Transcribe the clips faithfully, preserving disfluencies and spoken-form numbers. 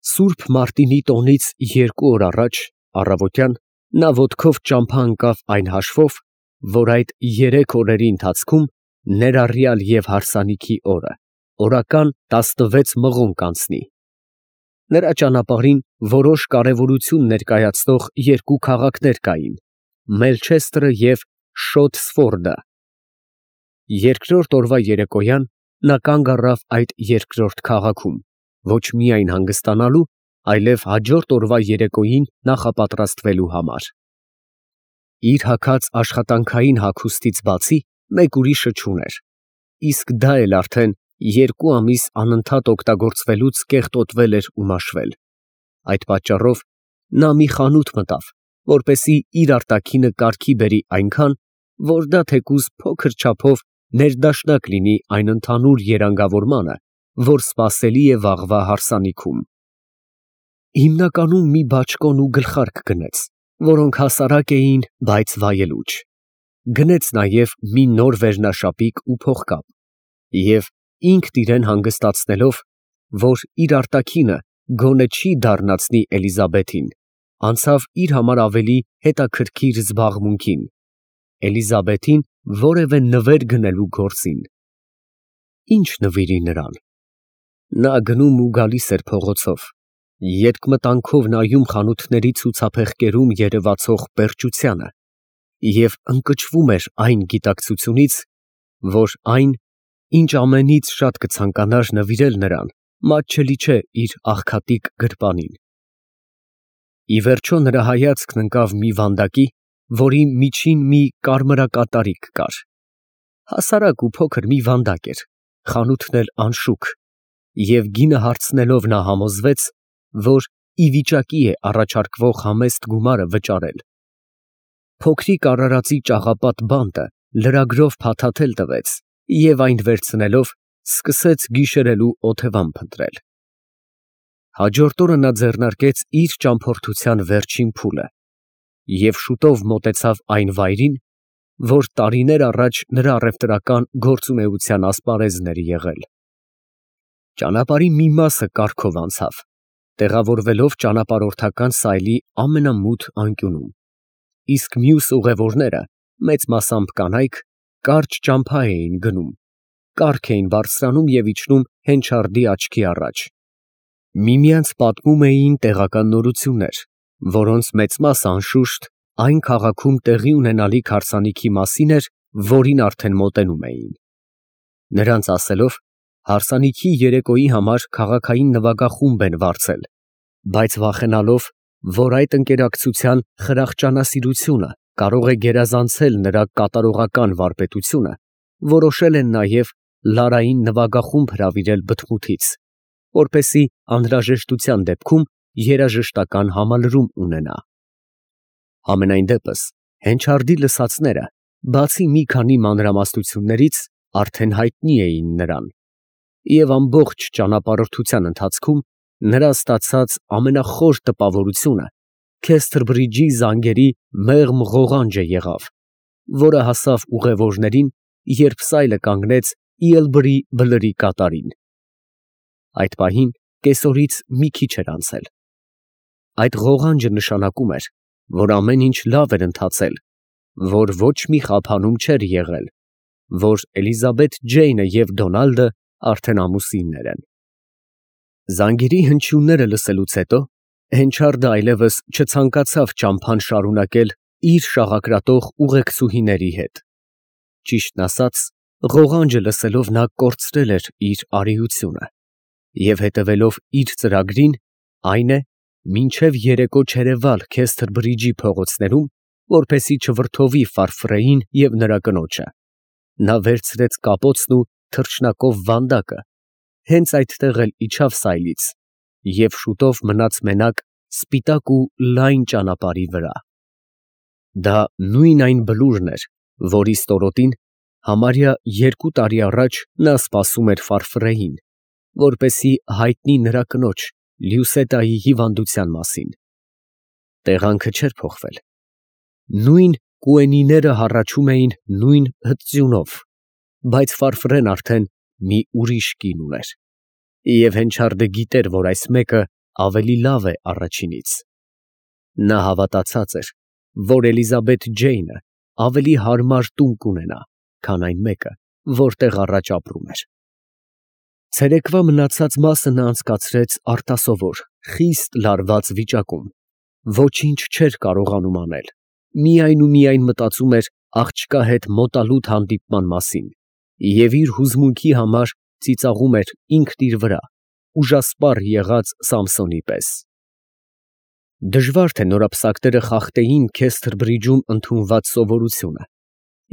Սուրբ Մարտինի տոնից երկու օր առաջ, առավոտյան, նա ոտքով ճամփա ընկավ այն հաշվով, որ այդ երեք օրերի ընթացքում ներառյալ և հարսանիքի օրը, օրական տասնվեց մղոն կանցնի։ Նրա ճանապարհին որոշ կարևորություն ներկայացնող երկու քաղաքներ կային՝ Մելչեստրը և Շոտսֆորդը։ Երկրորդ օրվա երեկոյան նա կանգ առավ այդ երկրորդ քաղաքում, ոչ միայն հանգստանալու, այլև հաջորդ օրվա երեկոյին նախապատրաստվելու համար։ Իր հագած աշխատանքային հագուստից բացի մեկ ուրիշը չուներ, իսկ դա էլ արդեն երկու ամիս անընդհատ օգտագործվելուց կեղտոտվել էր ու մաշվել։ Այդ պատճառով նա մի խանութ մտավ, որպեսզի իր արտաքինը կարգի բերի այնքան, որ դա թեկուզ փոքր չափով ներդաշնակ լինի այն ընդհանուր երանգավորմանը, որ սպասելի է վաղվա հարսանիքում։ Հիմնականում մի բաճկոն ու գլխարկ գնեց, որոնք հասարակ էին, բայց վայելուչ։ Գնեց նաև մի նոր վերնաշապիկ ու փողկապ, և ինքն իրան հանգստացնելով, որ իր արտաքինը գոնե չի դառնացնի Էլիզաբեթին, անցավ իր համար ավելի հետաքրքիր զբաղմունքին՝ Էլիզաբեթին որևէ նվեր գնելու գործին։ Ի՞նչ նվիրի նրան։ Նա գնում ու գալիս էր փողոցով, երկմտանքով նայում խանութների ցուցափեղկերում երևացող պերճությանը և ընկճվում էր այն գիտակցությունից, որ այն, ինչ ամենից շատ կցանկանար նվիրել նրան, մատչելի չէ իր աղքատիկ գրպանին։ Ի վերջո նրա հայացքն ընկավ մի վանդակի, որի միջին մի կարմրակատարիկ կար։ Հասարակ ու փոքր մի վանդակ էր, խանութն էլ անշուք, և գինը հարցնելով նա համոզվեց, որ ի վիճակի է առաջարկվող համեստ գումարը վճարել։ Փոքրիկ արարածի ճաղապատ բանտը լրագրով փաթաթել տվեց և այն վերցնելով սկսեց գիշերելու օթևան փնտրել։ Հաջորդ օրը նա ձեռնարկեց իր ճամփորդության վերջին փուլը և շուտով մոտեցավ այն վայրին, որ տարիներ առաջ նրա առևտրական գործունեության ասպարեզն էր եղել։ Ճանապարհի մի մասը կառքով անցավ, տեղավորվելով ճանապարհորդական սայլի ամենամութ անկյունում, իսկ մյուս ուղևորները, մեծ մասամբ կանայք, կարճ ճամփա էին գնում, կառք էին բարձրանում և իջնում հենչարդի աչքի առաջ։ Միմյանց պատմում էին տեղական նորություններ, որոնց մեծ մասը, անշուշտ, այն քաղաքում տեղի ունենալիք հարսանիքի մասին էր, որին արդեն մոտենում էին։ Նրանց ասելով, հարսանիքի երեկոյի համար քաղաքային նվագախումբ են վարձել, բայց վախենալով, որ այդ ընկերակցության խրախճանասիրությունը կարող է գերազանցել նրա կատարողական վարպետությունը, որոշել են նաև Լարային նվագախումբ հրավիրել բթմութից, որպեսզի անհրաժեշտության դեպքում երաժշտական համալրում ունենա։ Համենայն դեպս, հենչարդի լսածները, բացի մի քանի մանրամասնություններից, արդեն հայտնի էին նրան, և ամբողջ ճանապարհորդության ընթացքում նրա ստացած ամենախոր տպավորությունը Քեսթրբրիջի զանգերի մեղմ ղողանջը եղավ, որը հասավ ուղևորներին, երբ սայլը կանգնեց Իլբրի բլրի կատարին։ Այդ պահին կեսօրից մի քիչ էր անցել։ Այդ ղողանջը նշանակում էր, որ ամեն ինչ լավ էր ընթացել, որ ոչ մի խափանում չէր եղել, որ Էլիզաբեթ Ջեյնը և Դոնալդը արդեն ամուսիններ են։ Զանգերի հնչյունները լսելուց հետո հենչարդը այլևս չցանկացավ ճամփան շարունակել իր շաղակրատող ուղեկցուհիների հետ։ Ճիշտն ասած, ղողանջը լսելով նա կորցրել էր իր արիությունը և հետևելով իր ծրագրին, այն է, մինչև երեկո չերևալ Քեսթրբրիջի փողոցներում, որպեսզի չվրդովի Ֆարֆրեին և նրա կնոջը, նա վերցրեց կապոցն ու թռչնակով վանդակը, հենց այդտեղ էլ իջավ սայլից և շուտով մնաց մենակ սպիտակ ու լայն ճանապարհի վրա։ Դա նույն այն բլուրն էր, որի ստորոտին համարյա երկու տարի առաջ նա սպասում էր Ֆարֆրեին, որպեսզի հայտնի նրա կնոջ Լյուսետայի հիվանդության մասին։ Տեղանքը չէր փոխվել։ Նույն կուենիները հառաչում էին նույն հտձյունով, բայց Ֆարֆրեն արդեն մի ուրիշ կին ուներ, և հենչարդը գիտեր, որ այս մեկը ավելի լավ է առաջինից։ Նա հավատացած էր, որ Էլիզաբեթ Ջեյնը ավելի հարմար տուն կունենա, քան այն մեկը, որտեղ առաջ ապրում էր։ Ցերեկվա մնացած մասը նա անցկացրեց արտասովոր, խիստ լարված վիճակում, ոչինչ չէր կարողանում անել, միայն ու միայն մտածում էր աղջկա հետ մոտալուտ հանդիպման մասին և իր հուզմունքի համար ծիծաղում էր ինքն իր վրա, ուժասպառ եղած Սամսոնի պես։ Դժվար թե նորապսակները խախտեին Քեսթր Բրիջում ընդունված սովորությունը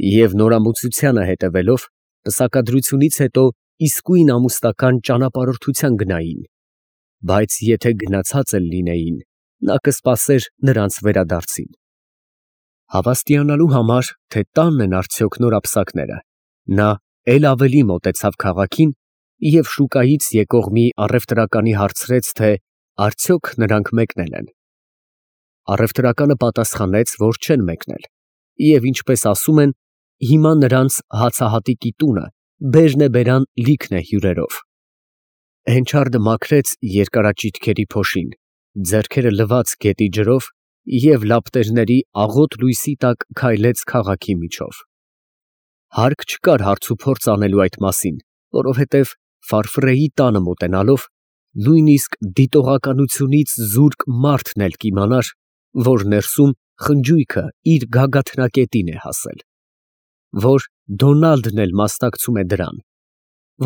և նորամուծությանը հետևելով, պսակադրությունից հետո իսկույն ամուսնական ճանապարհորդության գնային, բայց եթե գնացած էլ լինեին, նա կսպասեր նրանց վերադարձին։ Հավաստիանալու համար, թե տանն են արդյոք նորապսակները, նա էլ ավելի մոտեցավ քաղաքին և շուկայից եկող մի առևտրականի հարցրեց, թե արդյոք նրանք մեկնել են։ Առևտրականը պատասխանեց, որ չեն մեկնել և, ինչպես ասում են, հիմա նրանց հացահատիկի տունը բերն է բերան լիքն է հյուրերով։ Հենչարդը մաքրեց երկարաճիթքերի փոշին, ձեռքերը լվաց գետի ջրով և լապտերների աղոտ լույսի տակ քայլեց քաղաքի միջով։ Հարկ չկար հարցուփորձ անելու այդ մասին, որովհետև Ֆարֆրեի տանը մոտենալով, նույնիսկ դիտողականությունից զուրկ մարդն էլ կիմանար, որ ներսում խնջույքը իր գագաթնակետին է հասել, որ Դոնալդն էլ մասնակցում է դրան,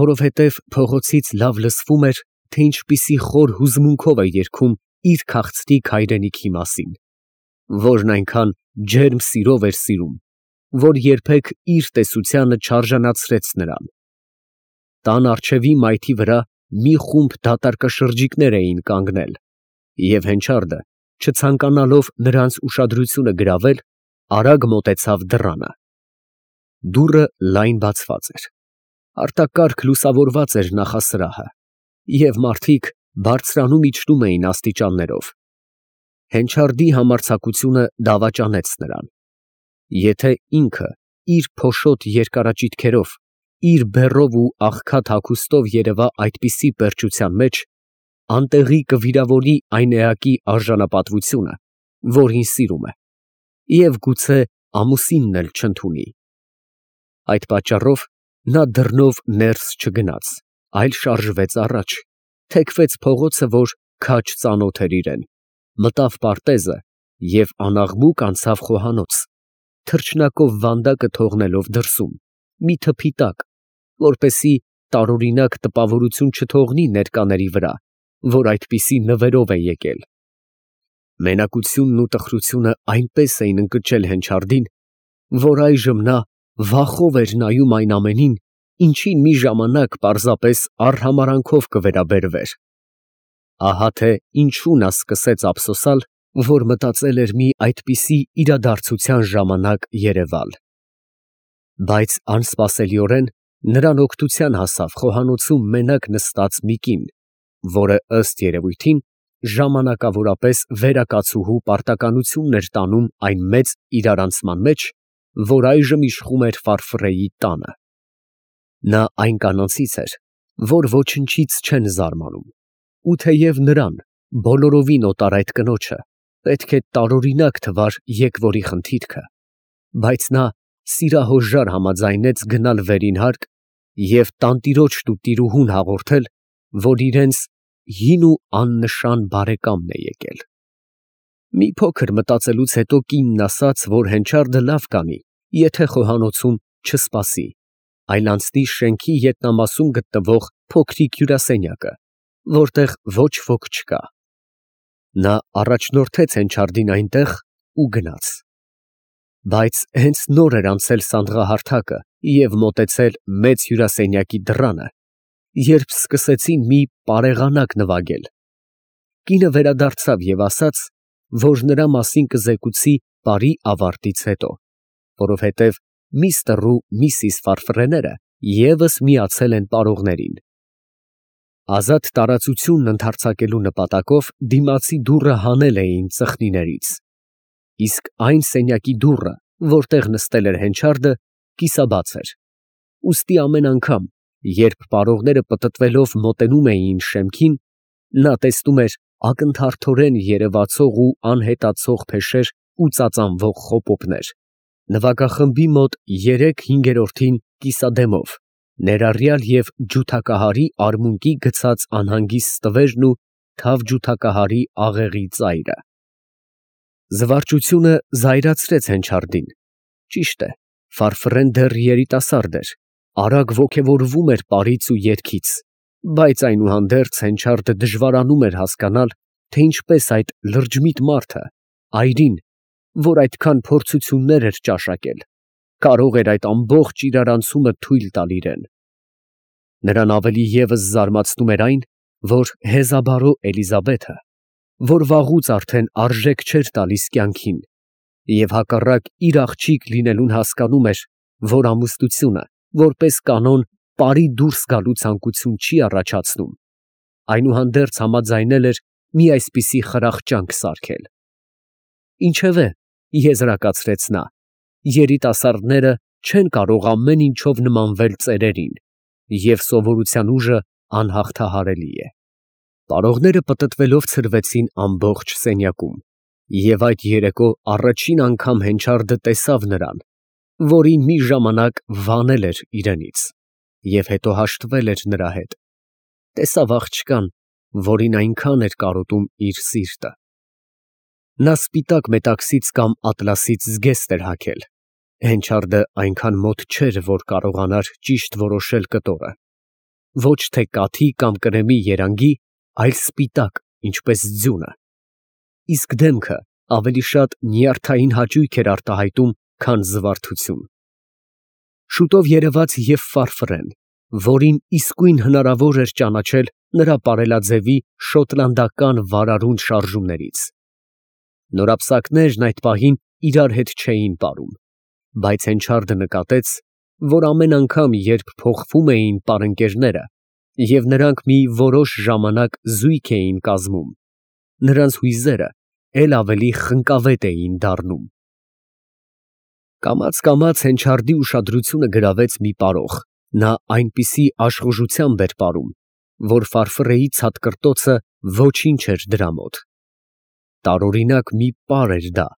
որովհետև փողոցից լավ լսվում էր, թե ինչպիսի խոր հուզմունքով է երգում իր քաղցրիկ հայրենիքի մասին, որն այնքան ջերմ սիրով էր սիրում, որ երբեք իր տեսությանը չարժանացրեց նրան։ Տան առջևի մայթի վրա մի խումբ դատարկաշրջիկներ էին կանգնել, և հենչարդը, չցանկանալով նրանց ուշադրությունը գրավել, արագ մոտեցավ դռանը։ Դուռը լայն բացված էր, արտակարգ լուսավորված էր նախասրահը, և մարդիկ բարձրանում իջնում էին աստիճաններով։ Հենչարդի համարձակությունը դավաճանեց նրան։ Եթե ինքը իր փոշոտ երկարաճիթքերով, իր բեռով ու աղքատ հագուստով երևա այդպիսի պերճության մեջ, անտեղի կվիրավորի այն էակի արժանապատվությունը, որին սիրում է, և գուցե ամուսինն էլ չընդունի։ Այդ պատճառով նա դռնով ներս չգնաց, այլ շարժվեց առաջ, թեքվեց փողոցը, որ քաջ ծանոթ էր իրեն, մտավ պարտեզը և անաղմուկ անցավ խոհանոց, թռչնակով վանդակը թողնելով դրսում, մի թփի տակ, որպեսզի տարօրինակ տպավորություն չթողնի ներկաների վրա, որ այդպիսի նվերով է եկել։ Մենակությունն ու տխրությունը այնպես էին ընկճել Հենչարդին, որ այժմ նա վախով էր նայում այն ամենին, ինչին մի ժամանակ պարզապես արհամարհանքով կվերաբերվեր։ Ահա թե ինչու նա սկսեց ափսոսալ, որ մտածել էր մի այդպիսի իրադարձության ժամանակ երևալ։ Բայց անսպասելիորեն նրան օգնության հասավ խոհանոցում մենակ նստած մի կին, որը, ըստ երևույթին, ժամանակավորապես վերակացուհու պարտականությունն էր տանում այն մեծ իրարանցման մեջ, որ այժմ իշխում էր Ֆարֆրեի տանը։ Նա այն կանանցից էր, որ ոչնչից չեն զարմանում, ու թեև նրան, բոլորովին օտար այդ կնոջը, պետք է տարօրինակ թվար եկվորի խնդիրքը, բայց նա սիրահոժար համաձայնեց գնալ վերին հարկ և տանտիրոջն ու տիրուհուն հաղորդել, որ իրենց հին ու աննշան բարեկամն է եկել։ Մի փոքր մտածելուց հետո կինն ասաց, որ հենչարդը լավ կանի, եթե խոհանոցում չսպասի, այլ անցնի շենքի ետնամասում գտնվող փոքրիկ հյուրասենյակը, որտեղ ոչ ոք չկա։ Նա առաջնորդեց Հենչարդին այնտեղ ու գնաց։ Բայց հենց նոր էր անցել սանդղահարթակը և մոտեցել մեծ հյուրասենյակի դռանը, երբ սկսեցին մի պարեղանակ նվագել։ Կինը վերադարձավ և ասաց, որ նրա մասին կզեկուցի պարի ավարտից հետո, որովհետև միստր ու միսիս Ֆարֆրեները ևս միացել են պարողներին։ Ազատ տարածությունն ընդարձակելու նպատակով դիմացի դուռը հանել էին ծխնիներից, իսկ այն սենյակի դուռը, որտեղ նստել էր Հենչարդը, կիսաբաց էր, ուստի ամեն անգամ, երբ պարողները պտտվելով մոտենում էին շեմքին, նա տեսնում էր ակնթարթորեն երևացող ու անհետացող փեշեր ու ծածանվող խոպոպներ, նվագախմբի մոտ երեք֊հինգերորդին կիսադեմով, ներառյալ և ջութակահարի արմունկի գցած անհանգիստ տվերն ու թավջութակահարի աղեղի ծայրը։ Զվարճությունը զայրացրեց Հենչարդին. ճիշտ է, Ֆարֆռեն դեռ երիտասարդ էր, արագ ոգևորվում էր պարից ու երգից, բայց այնուհանդերձ Հենչարդը դժվարանում էր հասկանալ, թե ինչպես այդ լրջմիտ մարդը, այրին, որ այդքան փորձություններ էր ճաշակել, կարող էր այդ ամբողջ իրարանցումը թույլ տալ իրան։ Նրան ավելի ևս զարմացնում էր այն, որ հեզաբարո Էլիզաբեթը, որ վաղուց արդեն արժեք չէր տալիս կյանքին, և հակառակ իր աղջիկ լինելուն հասկանում էր, որ ամուսնությունը, որպես կանոն, պարի դուրս գալու ցանկություն չի առաջացնում, այնուհանդերձ համաձայնել էր մի այսպիսի խրախճանք սարքել։ Ինչևէ, եզրակացրեց նա, երիտասարդները չեն կարող ամեն ինչով նմանվել ծերերին, և սովորության ուժը անհաղթահարելի է։ Պարողները պտտվելով ցրվեցին ամբողջ սենյակում, և այդ երեկո առաջին անգամ Հենչարդը տեսավ նրան, որին մի ժամանակ վանել էր իրենից, և հետո հաշտվել էր նրա հետ, տեսավ աղջկան, որին այնքան էր կարոտում իր սիրտը։ Նա սպիտակ մետաքսից կամ ատլասից զգեստ էր հագել, Հենչարդը այնքան մոտ չէր, որ կարողանար ճիշտ որոշել կտորը, ոչ թե կաթի կամ կրեմի երանգի, այլ սպիտակ, ինչպես ձյունը, իսկ դեմքը ավելի շատ նյարդային հաճույք էր արտահայտում, քան զվարթություն։ Շուտով երևաց և Ֆարֆռեն, որին իսկույն հնարավոր էր ճանաչել նրա պարելաձևի շոտլանդական վարարունդ շարժումներից։ Նորապսակներն այդ պահին իրար հետ չէին պարում, բայց Հենչարդը նկատեց, որ ամեն անգամ, երբ փոխվում էին պարընկերները, և նրանք մի որոշ ժամանակ զույգ էին կազմում, նրանց հույզերը էլ ավելի խնկավետ էին դառնում։ Կամաց֊կամաց Հենչարդի ուշադրությունը գրավեց մի պարող, նա այնպիսի աշխուժությամբ էր պարում, որ Ֆարֆռեի ցատկրտոցը ոչինչ էր դրա մոտ։ Տարօրինակ մի պար էր դա,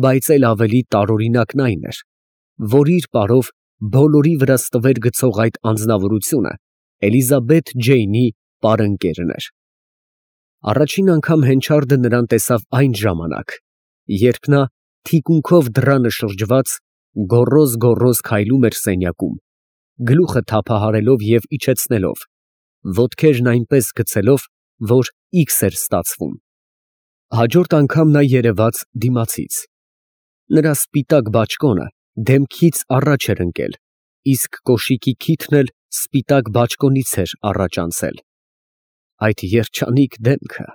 բայց էլ ավելի տարօրինակն այն էր, որ իր պարով բոլորի վրա ստվեր գցող այդ անձնավորությունը Էլիզաբեթ Ջեյնի պարընկերն էր։ Առաջին անգամ Հենչարդը նրան տեսավ այն ժամանակ, երբ նա թիկունքով դռանը շրջված, գոռոզ֊գոռոզ քայլում էր սենյակում, գլուխը թափահարելով և իջեցնելով, ոտքերն այնպես գցելով, որ իքս էր ստացվում։ Հաջորդ անգամ նա երևաց դիմացից։ Նրա սպիտակ բաճկոնը դեմքից առաջ էր ընկել, իսկ կոշիկի քիթն էլ սպիտակ բաճկոնից էր առաջ անցել։ Այդ երջանիկ դեմքը…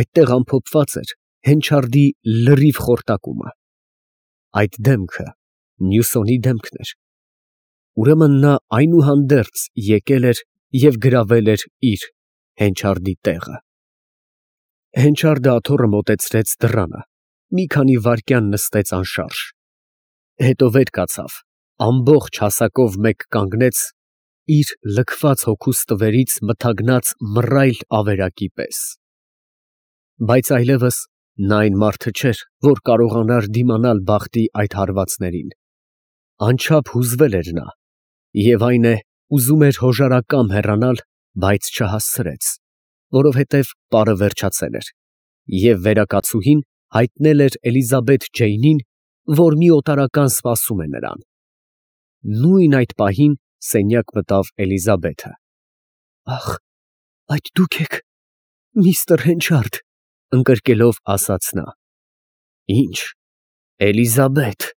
Այդտեղ ամփոփված էր Հենչարդի լրիվ խորտակումը։ Այդ դեմքը Մյուսոնի դեմքն էր։ Ուրեմն նա այնուհանդերձ եկել էր և գրավել էր իր՝ Հենչարդի տեղը։ Հենչարդը աթոռը մոտեցրեց դռանը, մի քանի վայրկյան նստեց անշարժ, հետո վեր կացավ, ամբողջ հասակով մեկ կանգնեց, իր լքված հոգու ստվերից մթագնած մռայլ ավերակի պես։ Բայց այլևս նա այն մարդը չէր, որ կարողանար դիմանալ բախտի այդ հարվածներին։ Անչափ հուզվել էր նա, և այն է, ուզում էր հոժարակամ հեռանալ, բայց չհասցրեց, որովհետև պարը վերջացել էր, և վերակացուհին հայտնել էր Էլիզաբեթ Ջեյնին, որ մի օտարական սպասում է նրան։ Նույն այդ պահին սենյակ մտավ Էլիզաբեթը։ ֊ Ախ, այդ դուք եք, միստր Հենչարդ, ֊ ընկրկելով ասաց նա։ ֊ Ի՞նչ, Էլիզաբեթ, ֊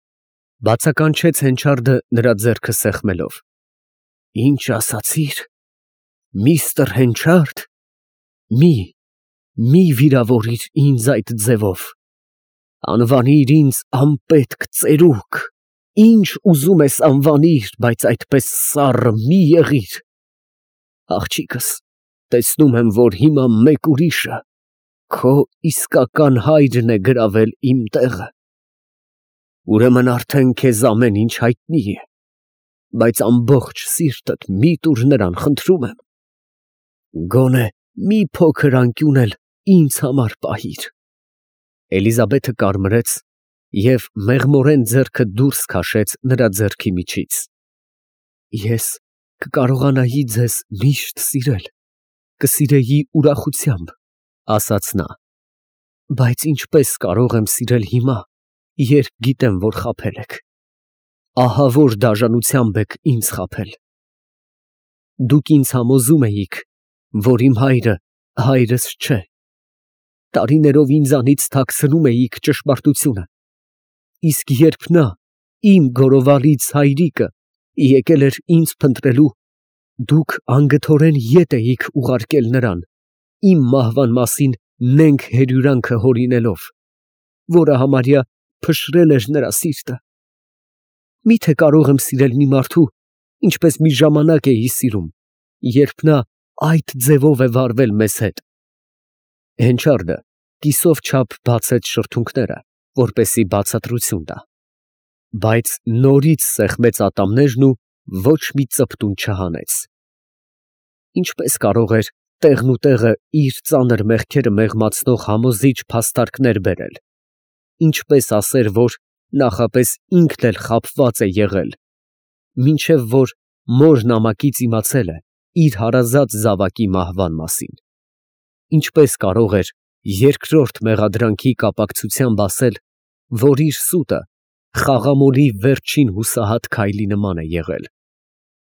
բացականչեց Հենչարդը նրա ձեռքը սեղմելով։ ֊ Ի՞նչ ասացիր, միստր Հենչարդ, մի, մի վիրավորիր ինձ այդ ձևով, անվանիր ինձ անպետք ծերուկ, ինչ ուզում ես անվանիր, բայց այդպես սառը մի եղիր… Աղջիկս, տեսնում եմ, որ հիմա մեկ ուրիշը, քո իսկական հայրն է գրավել իմ տեղը… Ուրեմն արդեն քեզ ամեն ինչ հայտնի է, բայց ամբողջ սիրտդ մի տուր նրան, խնդրում եմ… Գոնե մի փոքր անկյուն էլ ինձ համար պահիր։ Էլիզաբեթը կարմրեց և մեղմորեն ձեռքը դուրս քաշեց նրա ձեռքի միջից։ Ես կկարողանայի ձեզ միշտ սիրել, կսիրեի ուրախությամբ, ասաց նա, բայց ինչպես կարող եմ սիրել հիմա, երբ գիտեմ, որ խաբել եք, ահավոր դաժանությամբ եք ինձ խաբել։ Դուք ինձ համոզում էիք, որ իմ հայրը հայրս չէ, տարիներով ինձանից թաքցնում էիք ճշմարտությունը, իսկ երբ նա, իմ գորովալից հայրիկը, եկել էր ինձ փնտրելու, դուք անգթորեն ետ էիք ուղարկել նրան, իմ մահվան մասին նենգ հերյուրանքը հորինելով, որը համարյա փշրել էր նրա սիրտը։ Մի՞թե կարող եմ սիրել մի մարդու, ինչպես մի ժամանակ էի սիրում, երբ նա այդ ձևով է վարվել մեզ հետ։ Հենչարդը կիսով չափ բացեց շրթունքները, որպեսզի բացատրություն տա, բայց նորից սեղմեց ատամներն ու ոչ մի ծպտուն չհանեց։ Ինչպես կարող էր տեղնուտեղը իր ծանր մեղքերը մեղմացնող համոզիչ փաստարկներ բերել, ինչպես ասեր, որ նախապես ինքն էլ խաբված է եղել, մինչև որ մոր նամակից իմացել է իր հարազատ զավակի մահվան մասին, ինչպես կարող էր երկրորդ մեղադրանքի կապակցությամբ ասել, որ իր սուտը խաղամոլի վերջին հուսահատ քայլի նման է եղել,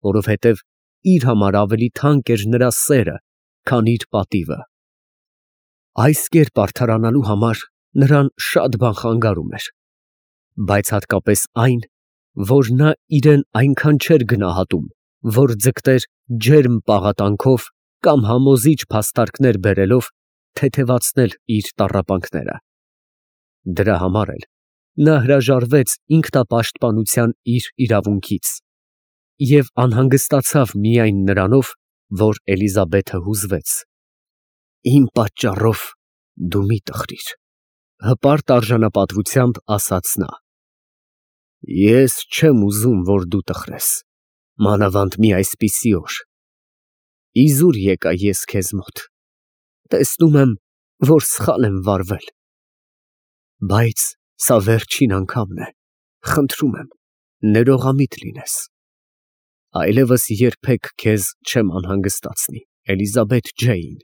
որովհետև իր համար ավելի թանկ էր նրա սերը, քան իր պատիվը։ Այս կերպ արդարանալու համար նրան շատ բան խանգարում էր, բայց հատկապես այն, որ նա իրեն այնքան չէր գնահատում, որ ձգտեր ջերմ պաղատանքով կամ համոզիչ փաստարկներ բերելով թեթևացնել իր տառապանքները։ Դրա համար էլ նա հրաժարվեց ինքնապաշտպանության իր իրավունքից և անհանգստացավ միայն նրանով, որ Էլիզաբեթը հուզվեց։ Իմ պատճառով դու մի տխրիր, հպարտ արժանապատվությամբ ասաց նա։ Ես չեմ ուզում, որ դու տխրես, մանավանդ մի այսպիսի օր։ Իզուր եկա ես քեզ մոտ, տեսնում եմ, որ սխալ եմ վարվել, բայց սա վերջին անգամն է, խնդրում եմ, ներողամիտ լինես։ Այլևս երբեք քեզ չեմ անհանգստացնի, Էլիզաբեթ Ջեյն,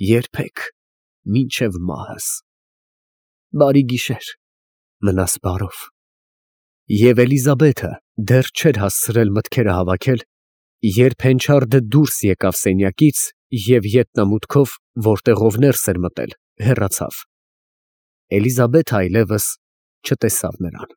երբեք, մինչև մահս։ Բարի գիշեր, մնաս բարով։ Եվ Էլիզաբեթը դեռ չէր հասցրել մտքերը հավաքել, երբ Հենչարդը դուրս եկավ սենյակից և ետնամուտքով, որտեղով ներս էր մտել, հեռացավ։ Էլիզաբեթը այլևս չտեսավ նրան։